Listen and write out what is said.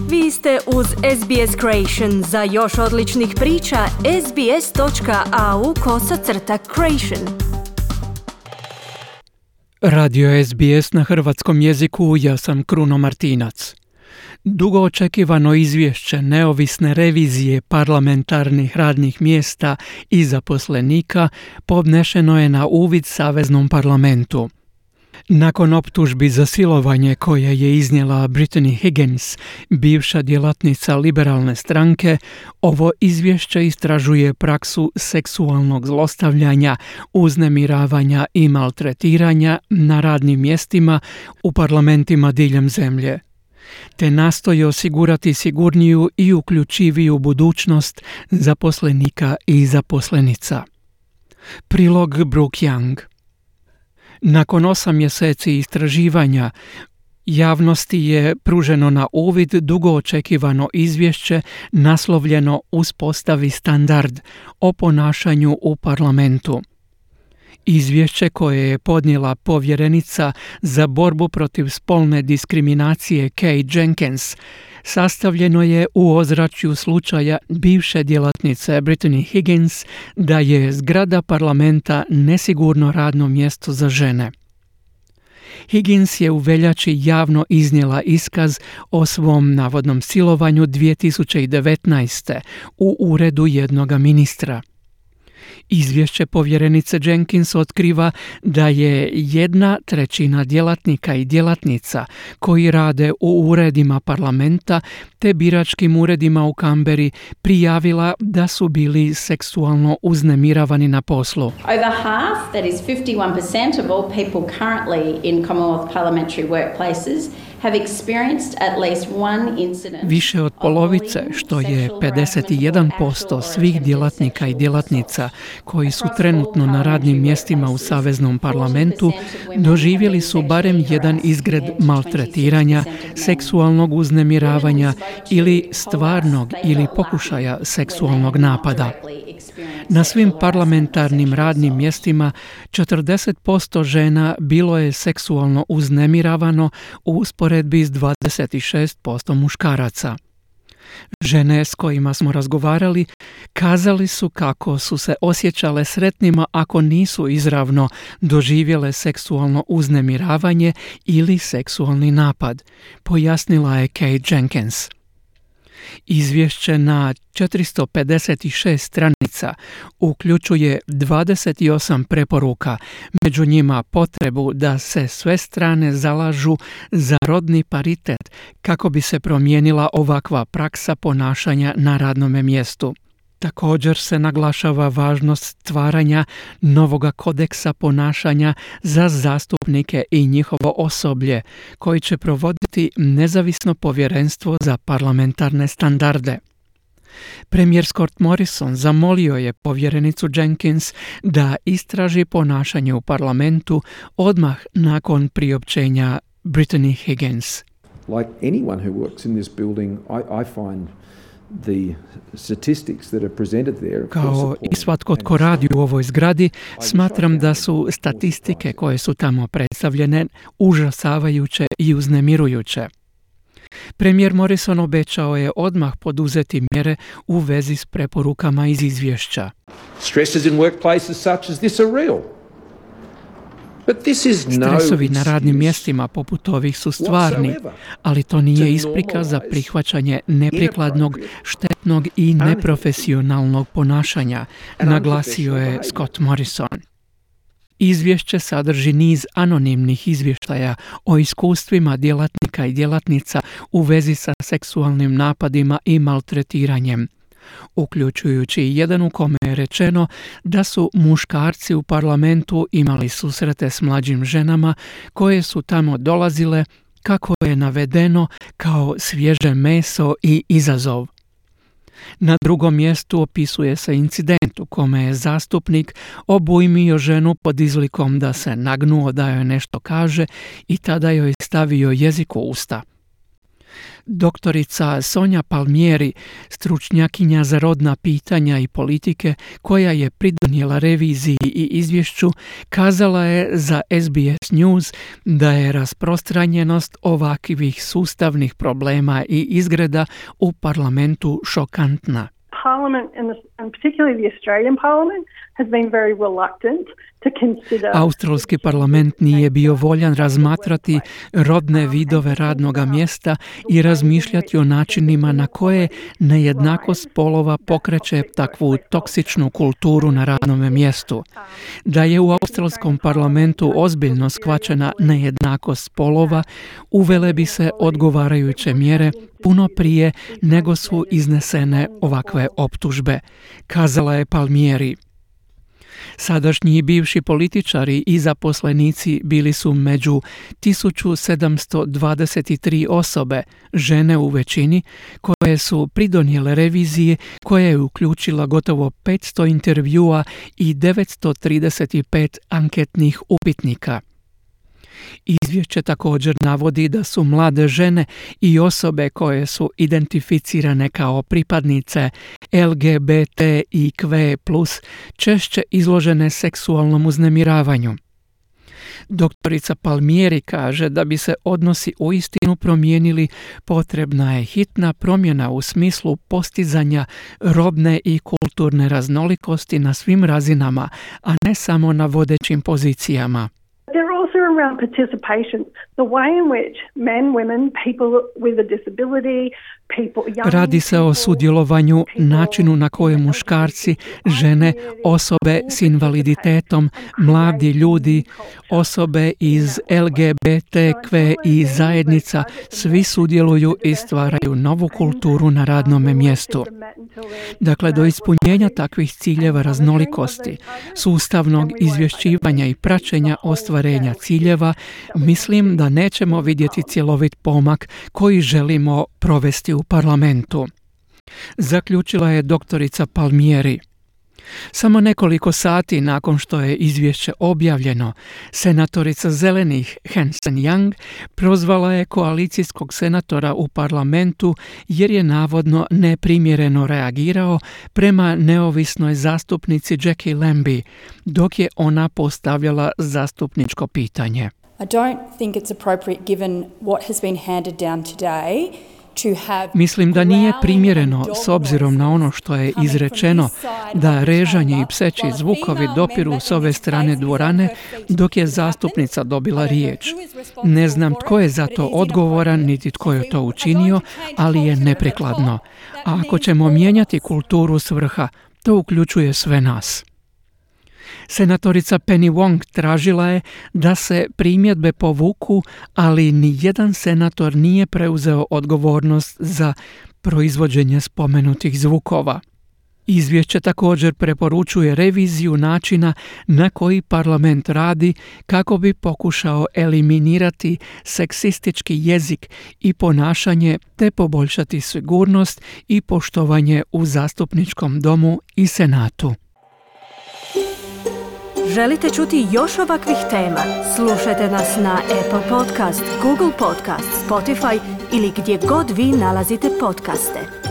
Vi ste uz SBS Creation. Za još odličnih priča, sbs.au/creation. Radio SBS na hrvatskom jeziku, ja sam Kruno Martinac. Dugo očekivano izvješće neovisne revizije parlamentarnih radnih mjesta i zaposlenika podnešeno je na uvid Saveznom parlamentu. Nakon optužbi za silovanje koje je iznijela Brittany Higgins, bivša djelatnica liberalne stranke, ovo izvješće istražuje praksu seksualnog zlostavljanja, uznemiravanja i maltretiranja na radnim mjestima u parlamentima diljem zemlje, te nastoji osigurati sigurniju i uključiviju budućnost zaposlenika i zaposlenica. Prilog Brooke Young. Nakon 8 mjeseci istraživanja, javnosti je pruženo na uvid dugo očekivano izvješće naslovljeno Uspostavi standard o ponašanju u parlamentu. Izvješće koje je podnijela povjerenica za borbu protiv spolne diskriminacije Kay Jenkins sastavljeno je u ozračju slučaja bivše djelatnice Brittany Higgins da je zgrada parlamenta nesigurno radno mjesto za žene. Higgins je u veljači javno iznijela iskaz o svom navodnom silovanju 2019. u uredu jednoga ministra. Izvješće povjerenice Jenkins otkriva da je 1/3 djelatnika i djelatnica koji rade u uredima parlamenta te biračkim uredima u Canberri prijavila da su bili seksualno uznemiravani na poslu. Over half, that is 51% of all people currently in Commonwealth parliamentary workplaces have experienced at least one incident. Više od polovice, što je 51% svih djelatnika i djelatnica koji su trenutno na radnim mjestima u Saveznom parlamentu, doživjeli su barem jedan izgred maltretiranja, seksualnog uznemiravanja ili stvarnog ili pokušaja seksualnog napada. Na svim parlamentarnim radnim mjestima 40% žena bilo je seksualno uznemiravano u usporedbi s 26% muškaraca. Žene s kojima smo razgovarali kazali su kako su se osjećale sretnima ako nisu izravno doživjele seksualno uznemiravanje ili seksualni napad, pojasnila je Kay Jenkins. Izvješće na 456 stranica uključuje 28 preporuka, među njima potrebu da se sve strane zalažu za rodni paritet kako bi se promijenila ovakva praksa ponašanja na radnome mjestu. Također se naglašava važnost stvaranja novoga kodeksa ponašanja za zastupnike i njihovo osoblje, koji će provoditi nezavisno povjerenstvo za parlamentarne standarde. Premijer Scott Morrison zamolio je povjerenicu Jenkins da istraži ponašanje u parlamentu odmah nakon priopćenja Brittany Higgins. Like anyone who works in this building, I find the statistics that are presented there. Kao i svatko tko radi u ovoj zgradi, smatram da su statistike koje su tamo predstavljene užasavajuće i uznemirujuće. Premijer Morrison obećao je odmah poduzeti mjere u vezi s preporukama iz izvješća. Stresses in workplaces such as this are real. Stresovi na radnim mjestima poput ovih su stvarni, ali to nije isprika za prihvaćanje neprikladnog, štetnog i neprofesionalnog ponašanja, naglasio je Scott Morrison. Izvješće sadrži niz anonimnih izvještaja o iskustvima djelatnika i djelatnica u vezi sa seksualnim napadima i maltretiranjem, uključujući jedan u kome je rečeno da su muškarci u parlamentu imali susrete s mlađim ženama koje su tamo dolazile, kako je navedeno, kao svježe meso i izazov. Na drugom mjestu opisuje se incident u kome je zastupnik obujmio ženu pod izlikom da se nagnuo da joj nešto kaže i tada joj stavio jezik u usta. Doktorica Sonja Palmieri, stručnjakinja za rodna pitanja i politike, koja je pridonijela reviziji i izvješću, kazala je za SBS News da je rasprostranjenost ovakvih sustavnih problema i izgreda u parlamentu šokantna. Parliament, and particularly the Australian Parliament, has been very reluctant to consider... Australski parlament nije bio voljan razmatrati rodne vidove radnoga mjesta i razmišljati o načinima na koje nejednakost spolova pokreće takvu toksičnu kulturu na radnom mjestu. Da je u australskom parlamentu ozbiljno shvaćena nejednakost spolova, uvele bi se odgovarajuće mjere puno prije nego su iznesene ovakve optužbe, kazala je Palmieri. Sadašnji i bivši političari i zaposlenici bili su među 1723 osobe, žene u većini, koje su pridonijele reviziji koja je uključila gotovo 500 intervjua i 935 anketnih upitnika. Izvješće također navodi da su mlade žene i osobe koje su identificirane kao pripadnice LGBTIQ+, češće izložene seksualnom uznemiravanju. Doktorica Palmieri kaže da bi se odnosi uistinu promijenili, potrebna je hitna promjena u smislu postizanja rodne i kulturne raznolikosti na svim razinama, a ne samo na vodećim pozicijama. Around participation, the way in which men, women, people with a disability, Radi se o sudjelovanju, načinu na koje muškarci, žene, osobe s invaliditetom, mladi ljudi, osobe iz LGBTQI zajednica, svi sudjeluju i stvaraju novu kulturu na radnom mjestu. Dakle, do ispunjenja takvih ciljeva raznolikosti, sustavnog izvješćivanja i praćenja ostvarenja ciljeva, mislim da nećemo vidjeti cjelovit pomak koji želimo provesti u parlamentu, zaključila je doktorica Palmieri. Samo nekoliko sati nakon što je izvješće objavljeno, senatorica Zelenih Hanson Young prozvala je koalicijskog senatora u parlamentu jer je navodno neprimjereno reagirao prema neovisnoj zastupnici Jackie Lambie, dok je ona postavljala zastupničko pitanje. I don't think it's appropriate given what has been handed down today. Mislim da nije primjereno s obzirom na ono što je izrečeno da režanje i pseći zvukovi dopiru s ove strane dvorane dok je zastupnica dobila riječ. Ne znam tko je za to odgovoran niti tko je to učinio, ali je neprikladno. A ako ćemo mijenjati kulturu s vrha, to uključuje sve nas. Senatorica Penny Wong tražila je da se primjedbe povuku, ali ni jedan senator nije preuzeo odgovornost za proizvođenje spomenutih zvukova. Izvješće također preporučuje reviziju načina na koji parlament radi kako bi pokušao eliminirati seksistički jezik i ponašanje te poboljšati sigurnost i poštovanje u zastupničkom domu i senatu. Želite čuti još ovakvih tema? Slušajte nas na Apple Podcast, Google Podcast, Spotify ili gdje god vi nalazite podcaste.